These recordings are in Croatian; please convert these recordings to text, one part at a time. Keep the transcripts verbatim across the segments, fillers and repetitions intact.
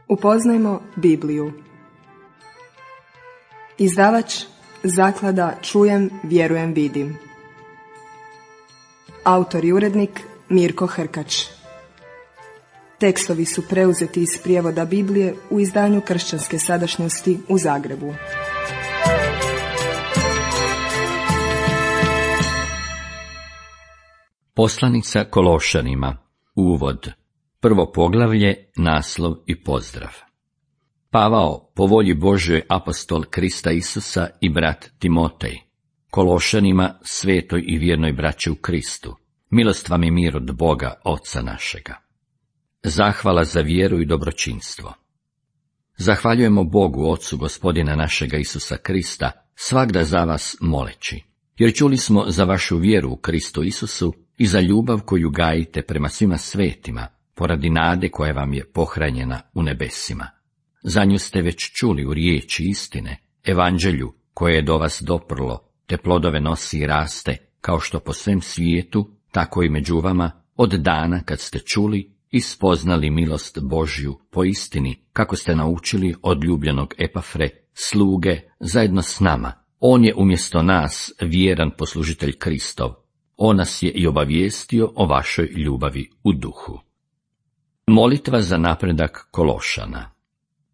Upoznajmo Bibliju. Izdavač Zaklada Čujem, vjerujem, vidim. Autor i urednik Mirko Hrkač. Tekstovi su preuzeti iz prijevoda Biblije u izdanju Kršćanske sadašnjosti u Zagrebu. Poslanica Kološanima. Uvod. Prvo poglavlje, naslov i pozdrav. Pavao, po volji Božjoj, apostol Krista Isusa i brat Timotej, Kološanima, svetoj i vjernoj braći u Kristu, milost vam i mir od Boga, Oca našega. Zahvala za vjeru i dobročinstvo. Zahvaljujemo Bogu, Ocu Gospodina našega Isusa Krista, svagda za vas moleći, jer čuli smo za vašu vjeru u Kristu Isusu i za ljubav koju gajite prema svima svetima, poradi nade koja vam je pohranjena u nebesima. Za nju ste već čuli u riječi istine, evanđelju koje je do vas doprlo, te plodove nosi i raste, kao što po svem svijetu, tako i među vama, od dana kad ste čuli i spoznali milost Božju po istini, kako ste naučili od ljubljenog Epafre, sluge, zajedno s nama. On je umjesto nas vjeran poslužitelj Kristov. On nas je i obavijestio o vašoj ljubavi u duhu. Molitva za napredak Kološana.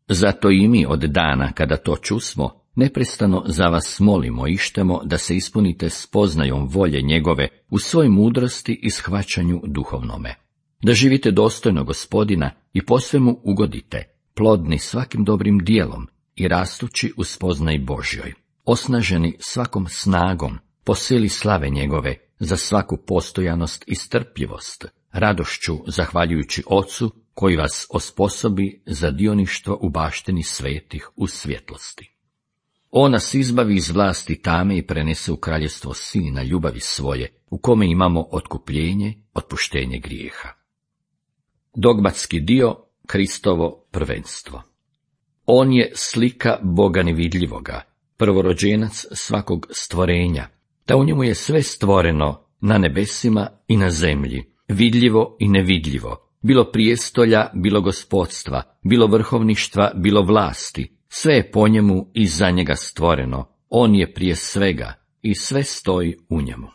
Zato i mi od dana kada to čusmo, neprestano za vas molimo i štemo da se ispunite spoznajom volje njegove u svoj mudrosti i shvaćanju duhovnome. Da živite dostojno Gospodina i po svemu ugodite, plodni svakim dobrim dijelom i rastući u spoznaji Božjoj, osnaženi svakom snagom, po sili slave njegove, za svaku postojanost i strpljivost, radošću zahvaljujući Ocu koji vas osposobi za dioništvo u baštini svetih u svjetlosti. On nas izbavi iz vlasti tame i prenese u kraljevstvo Sina ljubavi svoje, u kome imamo otkupljenje, otpuštenje grijeha. Dogmatski dio, Kristovo prvenstvo. On je slika Boga nevidljivoga, prvorođenac svakog stvorenja, da u njemu je sve stvoreno na nebesima i na zemlji, vidljivo i nevidljivo, bilo prijestolja, bilo gospodstva, bilo vrhovništva, bilo vlasti, sve je po njemu i za njega stvoreno, on je prije svega i sve stoji u njemu.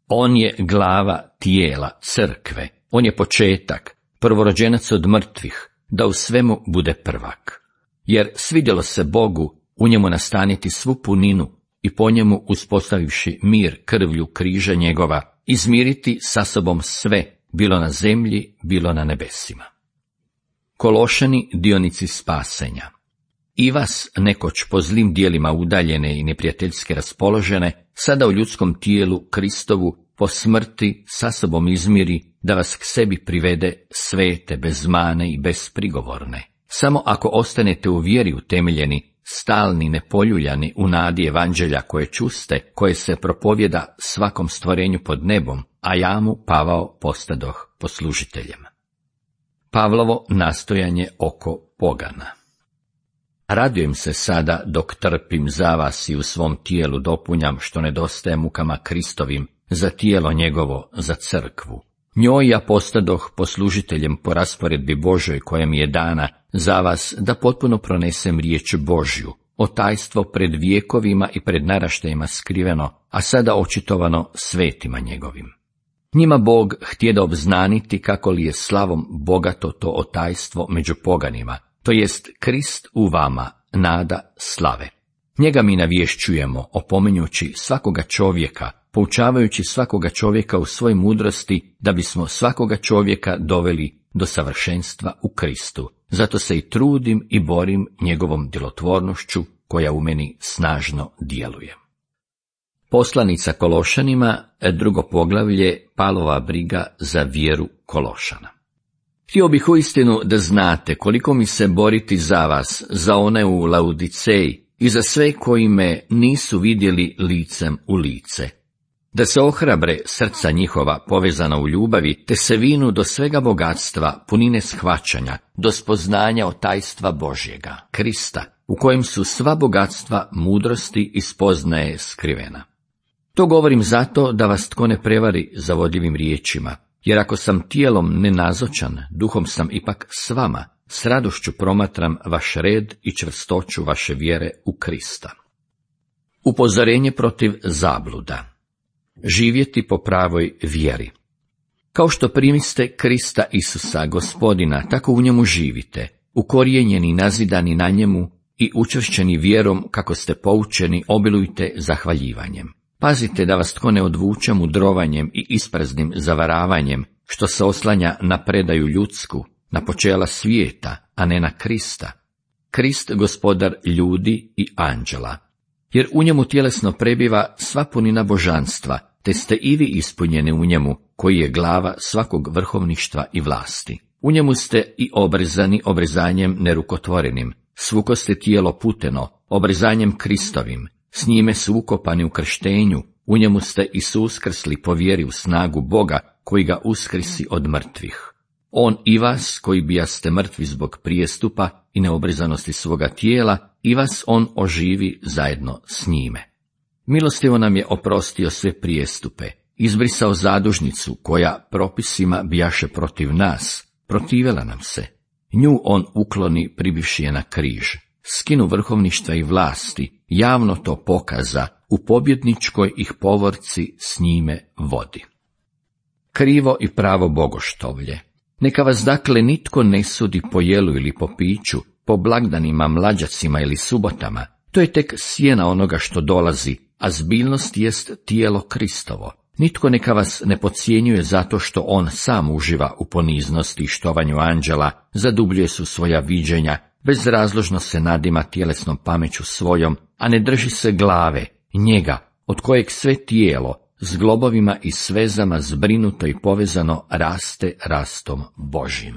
On je glava tijela, crkve, on je početak, prvorođenac od mrtvih, da u svemu bude prvak. Jer svidjelo se Bogu u njemu nastaniti svu puninu i po njemu uspostavivši mir krvlju križa njegova, izmiriti sa sobom sve, bilo na zemlji, bilo na nebesima. Kološani, dionici spasenja. I vas, nekoć po zlim dijelima udaljene i neprijateljske raspoložene, sada u ljudskom tijelu Kristovu po smrti sa sobom izmiri, da vas k sebi privede svete, bez mane i besprigovorne. Samo ako ostanete u vjeri utemeljeni, stalni, nepoljuljani u nadi evanđelja koje čuste, koje se propovjeda svakom stvorenju pod nebom, a ja mu, Pavao, postadoh poslužiteljem. Pavlovo nastojanje oko pogana. Radujem se sada dok trpim za vas i u svom tijelu dopunjam što nedostaje mukama Kristovim za tijelo njegovo, za crkvu. Njoj ja postadoh poslužiteljem po rasporedbi Božoj koja mi je dana za vas da potpuno pronesem riječ Božju, o tajstvo pred vijekovima i pred naraštajima skriveno, a sada očitovano svetima njegovim. Njima Bog htjeda obznaniti kako li je slavom bogato to otajstvo među poganima, to jest Krist u vama, nada slave. Njega mi navješćujemo, opominjući svakoga čovjeka, poučavajući svakoga čovjeka u svojoj mudrosti, da bismo svakoga čovjeka doveli do savršenstva u Kristu. Zato se i trudim i borim njegovom djelotvornošću, koja u meni snažno djeluje. Poslanica Kološanima, drugo poglavlje, Pavlova briga za vjeru Kološana. Htio bih uistinu da znate koliko mi se boriti za vas, za one u Laodiceji i za sve koji me nisu vidjeli licem u lice. Da se ohrabre srca njihova povezana u ljubavi, te se vinu do svega bogatstva, punine shvaćanja, do spoznanja o tajstva Božjega, Krista, u kojem su sva bogatstva mudrosti i spoznaje skrivena. To govorim zato da vas tko ne prevari zavodljivim riječima, jer ako sam tijelom nenazočan, duhom sam ipak s vama, s radošću promatram vaš red i čvrstoću vaše vjere u Krista. Upozorenje protiv zabluda. Živjeti po pravoj vjeri. Kao što primiste Krista Isusa, Gospodina, tako u njemu živite, ukorijenjeni i nazidani na njemu i učvršćeni vjerom kako ste poučeni, obilujte zahvaljivanjem. Pazite da vas tko ne odvuče mudrovanjem i ispraznim zavaravanjem, što se oslanja na predaju ljudsku, na počela svijeta, a ne na Krista. Krist gospodar ljudi i anđela. Jer u njemu tjelesno prebiva sva punina božanstva, te ste i vi ispunjeni u njemu, koji je glava svakog vrhovništva i vlasti. U njemu ste i obrezani obrezanjem nerukotvorenim, svuko ste tijelo puteno, obrezanjem Kristovim, s njime su ukopani u krštenju, u njemu ste i suskrsli po vjeri u snagu Boga, koji ga uskrisi od mrtvih. On i vas, koji bijaste mrtvi zbog prijestupa i neobrezanosti svoga tijela, i vas on oživi zajedno s njime. Milostivo nam je oprostio sve prijestupe, izbrisao zadužnicu koja propisima bijaše protiv nas, protivela nam se. Nju on ukloni pribivši je na križ, skinu vrhovništva i vlasti, javno to pokaza, u pobjedničkoj ih povorci s njime vodi. Krivo i pravo bogoštovlje. Neka vas dakle nitko ne sudi po jelu ili po piću, po blagdanima, mlađacima ili subotama. To je tek sjena onoga što dolazi, a zbiljnost jest tijelo Kristovo. Nitko neka vas ne podcjenjuje zato što on sam uživa u poniznosti i štovanju anđela, zadubljuje su svoja viđenja, bezrazložno se nadima tjelesnom pameću svojom, a ne drži se glave, njega, od kojeg sve tijelo, s globovima i svezama zbrinuto i povezano raste rastom Božjim.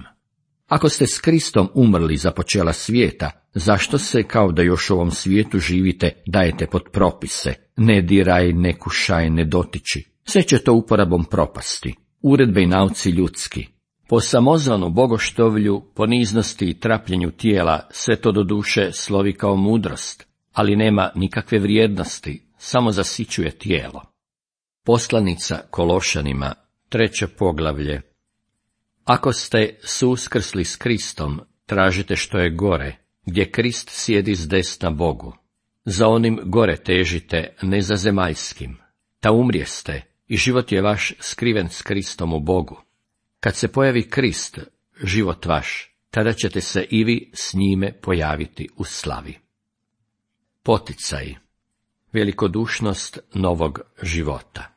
Ako ste s Kristom umrli za počela svijeta, zašto se, kao da još u ovom svijetu živite, dajete pod propise, ne diraj, ne kušaj, ne dotiči? Sve će to uporabom propasti, uredbe i nauci ljudski. Po samozvanu bogoštovlju, poniznosti i trapljenju tijela, sve to doduše slovi kao mudrost, ali nema nikakve vrijednosti, samo zasićuje tijelo. Poslanica Kološanima, treće poglavlje. Ako ste suskrsli s Kristom, tražite što je gore, gdje Krist sjedi s desna Bogu. Za onim gore težite, ne za zemaljskim. Ta umrijeste i život je vaš skriven s Kristom u Bogu. Kad se pojavi Krist, život vaš, tada ćete se i vi s njime pojaviti u slavi. Poticaj. Velikodušnost novog života.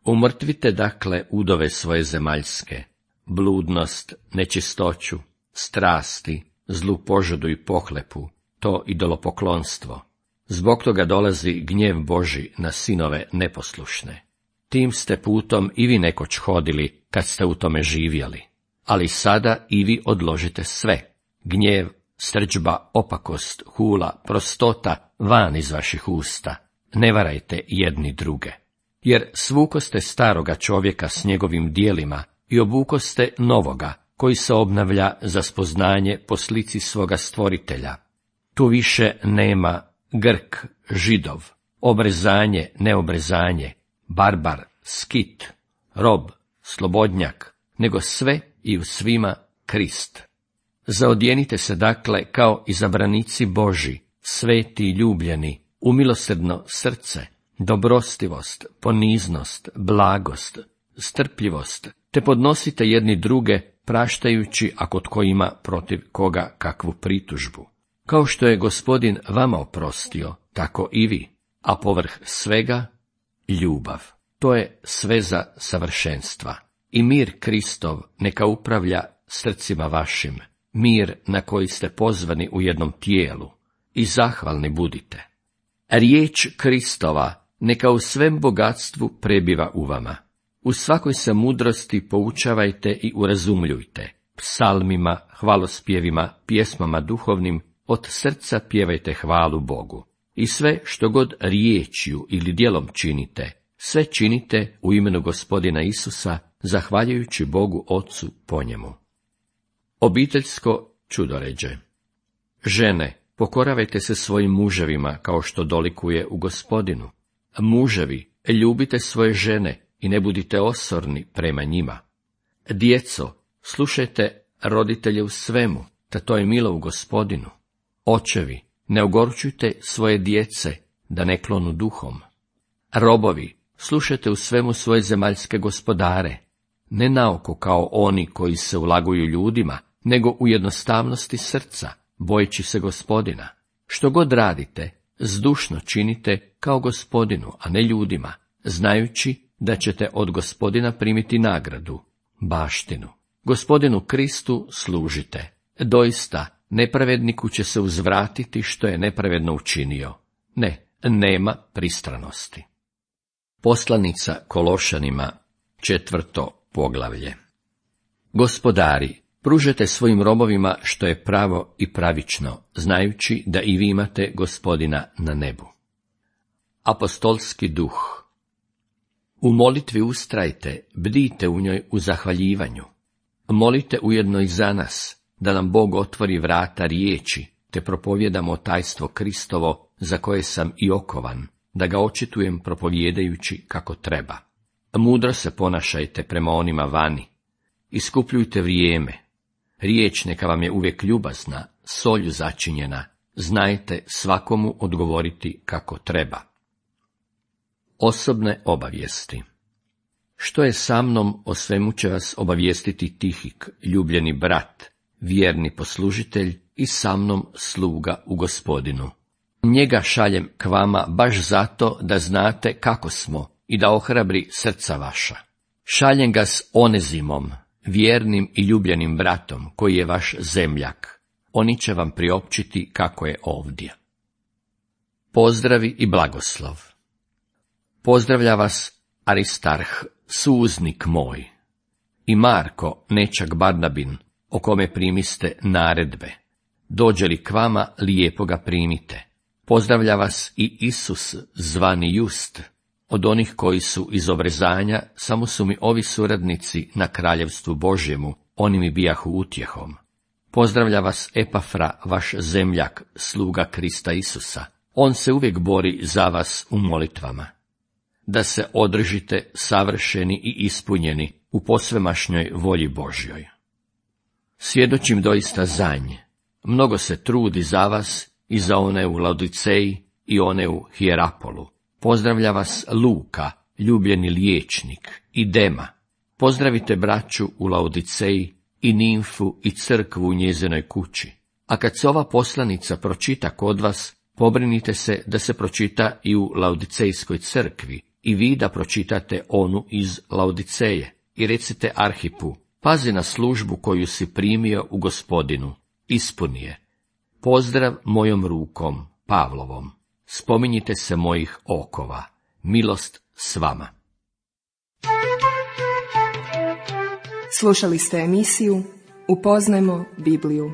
Umrtvite dakle udove svoje zemaljske, bludnost, nečistoću, strasti, zlu požudu i pohlepu, to idolopoklonstvo. Zbog toga dolazi gnjev Božji na sinove neposlušne. Tim ste putom i vi nekoć hodili, kad ste u tome živjeli. Ali sada i vi odložite sve, gnjev, srdžba, opakost, hula, prostota, van iz vaših usta. Ne varajte jedni druge. Jer svukoste staroga čovjeka s njegovim dijelima i obukoste novoga, koji se obnavlja za spoznanje po slici svoga stvoritelja. Tu više nema Grk, Židov, obrezanje, neobrezanje, barbar, skit, rob, slobodnjak, nego sve i u svima Krist. Zaodjenite se dakle kao izabranici Božji, sveti i ljubljeni, u milosrdno srce, dobrostivost, poniznost, blagost, strpljivost, te podnosite jedni druge, praštajući ako tko ima protiv koga kakvu pritužbu. Kao što je Gospodin vama oprostio, tako i vi, a povrh svega ljubav. To je sveza savršenstva. I mir Kristov neka upravlja srcima vašim, mir na koji ste pozvani u jednom tijelu, i zahvalni budite. Riječ Kristova neka u svem bogatstvu prebiva u vama. U svakoj se mudrosti poučavajte i urazumljujte. Psalmima, hvalospjevima, pjesmama duhovnim, od srca pjevajte hvalu Bogu. I sve što god riječju ili djelom činite, sve činite u imenu Gospodina Isusa, zahvaljujući Bogu Otcu po njemu. Obiteljsko čudoređe. Žene, pokoravajte se svojim muževima kao što dolikuje u Gospodinu. Muževi, ljubite svoje žene i ne budite osorni prema njima. Djeco, slušajte roditelje u svemu, ta to je milo u Gospodinu. Očevi, ne ogorčujte svoje djece, da ne klonu duhom. Robovi, slušajte u svemu svoje zemaljske gospodare, ne naoko kao oni koji se ulaguju ljudima, nego u jednostavnosti srca, bojeći se Gospodina. Što god radite, zdušno činite kao Gospodinu, a ne ljudima, znajući da ćete od Gospodina primiti nagradu, baštinu. Gospodinu Kristu služite. Doista, nepravedniku će se uzvratiti što je nepravedno učinio. Ne, nema pristranosti. Poslanica Kološanima, četvrto poglavlje. Gospodari, pružete svojim robovima što je pravo i pravično, znajući da i vi imate Gospodina na nebu. Apostolski duh. U molitvi ustrajte, bdite u njoj u zahvaljivanju. Molite ujedno i za nas, da nam Bog otvori vrata riječi, te propovijedamo tajstvo Kristovo, za koje sam i okovan, da ga očitujem propovjedajući kako treba. Mudro se ponašajte prema onima vani. Iskupljujte vrijeme. Riječ neka vam je uvijek ljubazna, solju začinjena. Znajte svakomu odgovoriti kako treba. Osobne obavijesti. Što je sa mnom, o svemu će vas obavijestiti Tihik, ljubljeni brat, vjerni poslužitelj i sa mnom sluga u Gospodinu. Njega šaljem k vama baš zato da znate kako smo i da ohrabri srca vaša. Šaljem ga s Onezimom, vjernim i ljubljenim bratom, koji je vaš zemljak. Oni će vam priopćiti kako je ovdje. Pozdravi i blagoslov. Pozdravlja vas Aristarh, suuznik moj, i Marko, nečak Barnabin, o kome primiste naredbe. Dođe li k vama, lijepo ga primite. Pozdravlja vas i Isus, zvani Just, od onih koji su iz obrezanja, samo su mi ovi suradnici na kraljevstvu Božjemu, oni mi bijahu utjehom. Pozdravlja vas Epafra, vaš zemljak, sluga Krista Isusa. On se uvijek bori za vas u molitvama. Da se održite savršeni i ispunjeni u posvemašnjoj volji Božjoj. Svjedočim doista za nje. Mnogo se trudi za vas i za one u Laodiceji i one u Hierapolu. Pozdravlja vas Luka, ljubljeni liječnik, i Dema. Pozdravite braću u Laodiceji i Nimfu i crkvu u njezinoj kući. A kad se ova poslanica pročita kod vas, pobrinite se da se pročita i u Laodicejskoj crkvi, i vi da pročitate onu iz Laodiceje. I recite Arhipu, pazi na službu koju si primio u Gospodinu, ispuni je. Pozdrav mojom rukom, Pavlovom. Spominjite se mojih okova. Milost s vama. Slušali ste emisiju Upoznajmo Bibliju.